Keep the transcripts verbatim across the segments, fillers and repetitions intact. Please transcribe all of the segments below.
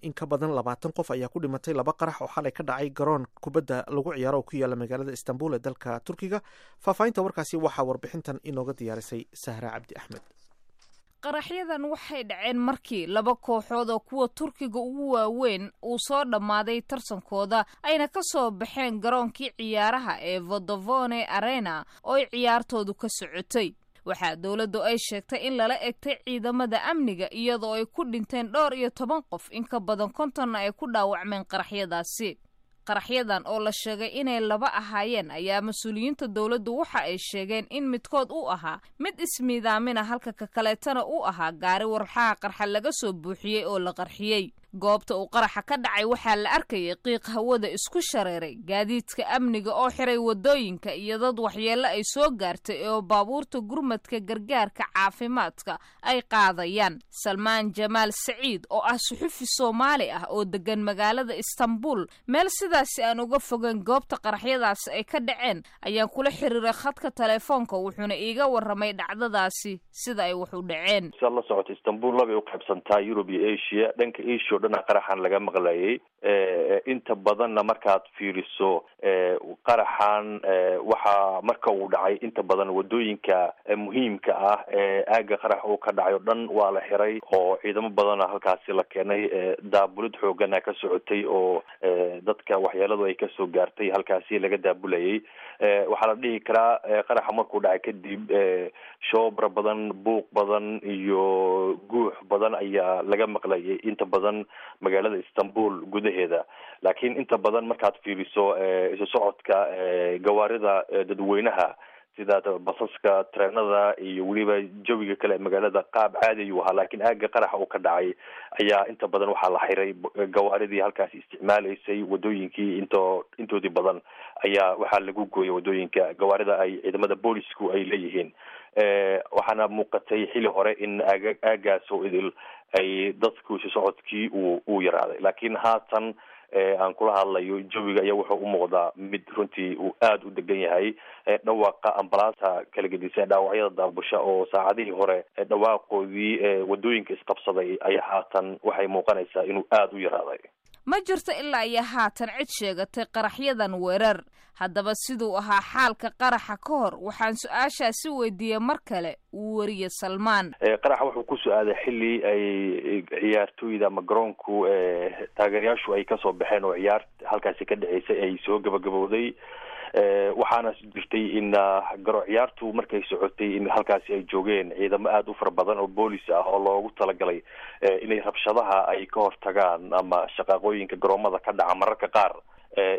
In ka badan labaatan qof ayaa ku dhimatay laba qarax oo xalay ka dhacay garoon kubadda lagu ciyaaro oo ku yaala magaalada Istanbul ee dalka Turkiga. Faahfaahinta warkaasi waxaa warbixintan inooga diyaarisay Sahra Cabdi Axmed. Qaraxyadan waxay dhaceen markii laba kooxood oo kuwa Turkiga ugu waaweyn uu soo dhammaaday tartankooda, ayna ka soo baxeen garoonkii ciyaaraha ee Vodafone Arena oo ay ciyaartoodu ka socotay. Waxaa dowladdu ay sheegtay in lala egtay ciidamada amniga, iyadoo ay ku dhinteen dhowr iyo toban qof, in ka badan kontonna ay ku dhaawacmeen qaraxyadaasi. Qaraxyadan oo la sheegay inay laba ahaayeen ayaa mas-uuliyiinta dowladdu waxa ay sheegeen in midkood uu ahaa mid ismiidaamina, halka ka kaleetana uu ahaa gaari warxaha qarxa laga soo buuxiyey oo la qarxiyey. Goobta uu qaraxa ka dhacay waxaa la arkayay qiiq hawada isku shareeray, gaadiidka amniga oo xiray wadooyinka iyo dad waxyeello ay soo gaartay oo baabuurta gurmadka gargaarka caafimaadka ay qaadayaan. Salmaan Jamaal Saciid oo ah suxufi Soomaali ah oo degan magaalada Istanbul, meel sidaasi aan uga fogeyn goobta qaraxyadaasi ay ka dhaceen, ayaan kula xiriiray khadka telefoonka, wuxuuna iiga warramay dhacdadaasi sida ay wax u dhaceen. Siaad la socota, Istanbul labay u qaybsantaa, Yurub iyo Asia. Dhanka Asia o dhan qaraxan laga maqlayay inta badanna. Markaad fiiriso qaraxan, waxaa marka uu dhacay inta badan wadooyinka muhiimka ah ee aaga qarax uu ka dhacay o dhan waa la xiray, oo ciidamo badana halkaasi la keenay. Daabulid xoogana ka socotay oo dadka waxyeeladu ay kasoo gaartay halkaasi laga daabulayay. Waxaa la dhihi karaa qaraxa markuu dhacay kadib shoobra badan, buuq badan iyo guux badan ayaa laga maqlayay inta badan magaalada Istanbul gudaheeda. Laakiin inta badan markaad fiiriso isu socodka gawaarida dadweynaha sida basaska, treenada iyo weliba jawiga kale ee magaalada, qaab caadi ayuu ahaa. Laakiin aaga qaraxa uu ka dhacay ayaa inta badan waxaa la xiray gawaaridii halkaasi isticmaalaysay. Wadooyinkii into intoodii badan ayaa waxaa lagu gooyay wadooyinka gawaarida ay ciidamada boolisku ay leeyihiin. Waxaana muuqatay xili hore in aaga aagaas oo idil ay dadku isu socodkii uu uu yaraaday. Laakiin haatan aan kula hadlayo, jawiga ayaa wuxuu u muuqdaa mid runtii uu aada u degan yahay. Dhawaaqa ambalaasta kala gedisan, dhaawacyada daabusha oo saacadihii hore dhawaaqoodii wadooyinka isqabsaday, ayaa haatan waxay muuqanaysaa inuu aada u yaraaday. Ma jirto ilaa iyo haatan cid sheegatay qaraxyadan weerar. Haddaba siduu ahaa xaalka qaraxa ka hor, waxaan su-aashaasi weydiiyey mar kale weriye Salmaan. Qaraxa wuxuu ku su-aaday xilli ay ciyaartooyda ama garoonku taageerayaashu ay kasoo baxeen oo ciyaar halkaasi ka dhaceysay ay soo gabagabowday. Waxaana jirtay in garo ciyaartu markay socotay in halkaasi ay joogeen ciidamo aada u fara badan oo boolis ah oo loogu talagalay inay rabshadaha ay ka hortagaan ama shaqaaqooyinka garoomada ka dhaca mararka qaar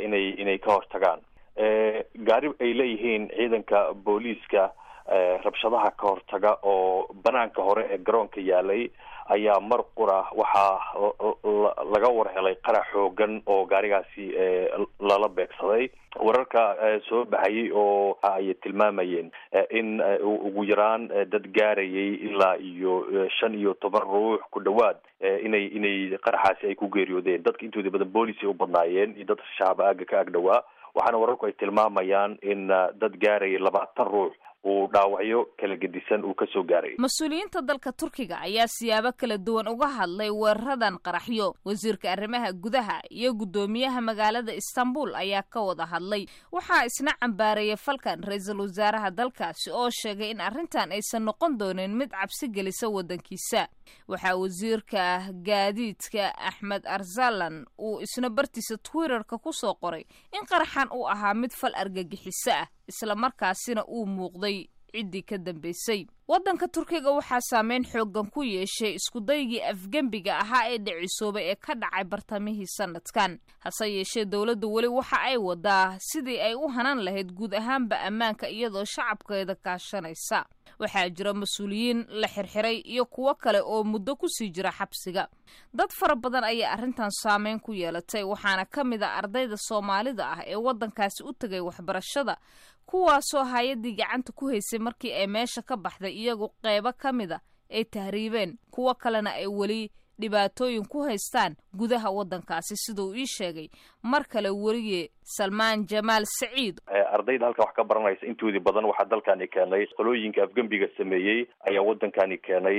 inay inay ka hortagaan. Gaari ay leeyihiin ciidanka booliiska rabshadaha ka hortaga oo banaanka hore ee garoonka yaalay ayaa mar qura waxaa laga war helay qarax xoogan oo gaarigaasi lala beegsaday. Wararka soo baxayay oo ay tilmaamayeen in ugu yaraan dad gaarayay ilaa iyo shan iyo toban ruux ku dhawaad inay inay qaraxaasi ay ku geeriyoodeen. Dadka intoodii badan boolis ay u badnaayeen iyo dad shacaba aaga ka ag dhawaa. Waxaana wararku ay tilmaamayaan in dad gaarayay labaatan ruux uu dhaawacyo kala gedisan uu kasoo gaaray. Mas-uuliyiinta dalka Turkiga ayaa siyaabo kala duwan uga hadlay weeraradan qaraxyo. Wasiirka arrimaha gudaha iyo guddoomiyaha magaalada Istanbul ayaa ka wada hadlay. Waxaa isna cambaareeyay falkan ra-iisul wasaaraha dalkaasi oo sheegay in arrintan aysan noqon doonin mid cabsi gelisa waddankiisa. Waxaa wasiirka gaadiidka Axmed Arsalan uu isna bartiisa Twitterka kusoo qoray in qaraxan uu ahaa mid fal argagixiso ah, islamarkaasina uu muuqday ciddii ka dambaysay. Waddanka Turkiga waxaa saameyn xooggan ku yeeshay iskudaygii afgembiga ahaa ee dhicisoobay ee ka dhacay bartamihii sanadkan. Hase yeeshee dowladdu weli waxa ay wadaa sidii ay u hanan lahayd guud ahaanba ammaanka, iyadoo shacabkeeda kaashanaysa. Waxaa jira mas-uuliyiin la xirxiray iyo kuwo kale oo muddo kusii jira xabsiga. Dad fara badan ayaa arrintan saameyn ku yeelatay, waxaana ka mid a ardayda Soomaalida ah ee waddankaasi u tegay waxbarashada, kuwaasoo hay-addii gacanta ku haysay markii ay meesha ka baxday iyagu qeybo ka mida ay tahriibeen, kuwo kalena ay weli dhibaatooyin ku haystaan gudaha waddankaasi, siduu ii sheegay mar kale weriye Salmaan Jamaal Saciid. Ardayda halka wax ka baranaysa intoodii badan waxaa dalkani keenay qolooyinka afgembiga sameeyey ayaa wadankani keenay.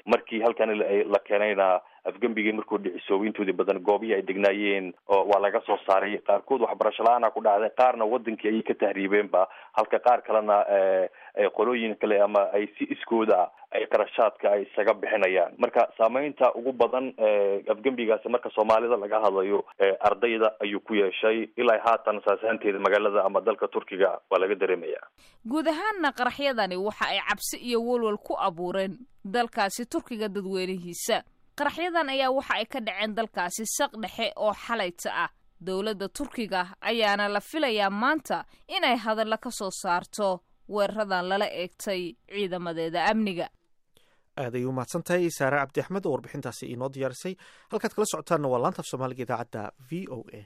Markii halkani la keenayna, afgembigii markuu dhicisoobay, intoodii badan goobihii ay degnaayeen waa laga soo saaray. Qaarkood waxbarasho la-aana ku dhacday, qaarna wadankii ayay ka tahriibeenba, halka qaar kalena qolooyin kale ama ay si iskooda ay qarashaadka ay isaga bixinayaan. Marka saameynta ugu badan afgembigaasi, marka Soomaalida laga hadlayo, ardayda ayuu ku yeeshay. Ilaa haatan saasaanteeda magaalada ama dalka Turkiga waa laga dareemaya. Guud ahaanna qaraxyadani waxa ay cabsi iyo walwal ku abuureen dalkaasi Turkiga dadweynihiisa. Qaraxyadan ayaa waxa ay ka dhaceen dalkaasi saq dhexe oo xalayta ah. Dowladda Turkiga ayaana la filayaa maanta inay hadallo ka soo saarto weeraradan lala eegtay ciidamadeeda amniga. Aad ay u mahadsan tahay Saare Cabdi Axmed oo warbixintaasi inoo diyaarisay. Halkaad kala socotaanna waa laanta af Soomaaliga, idaacadda V O A.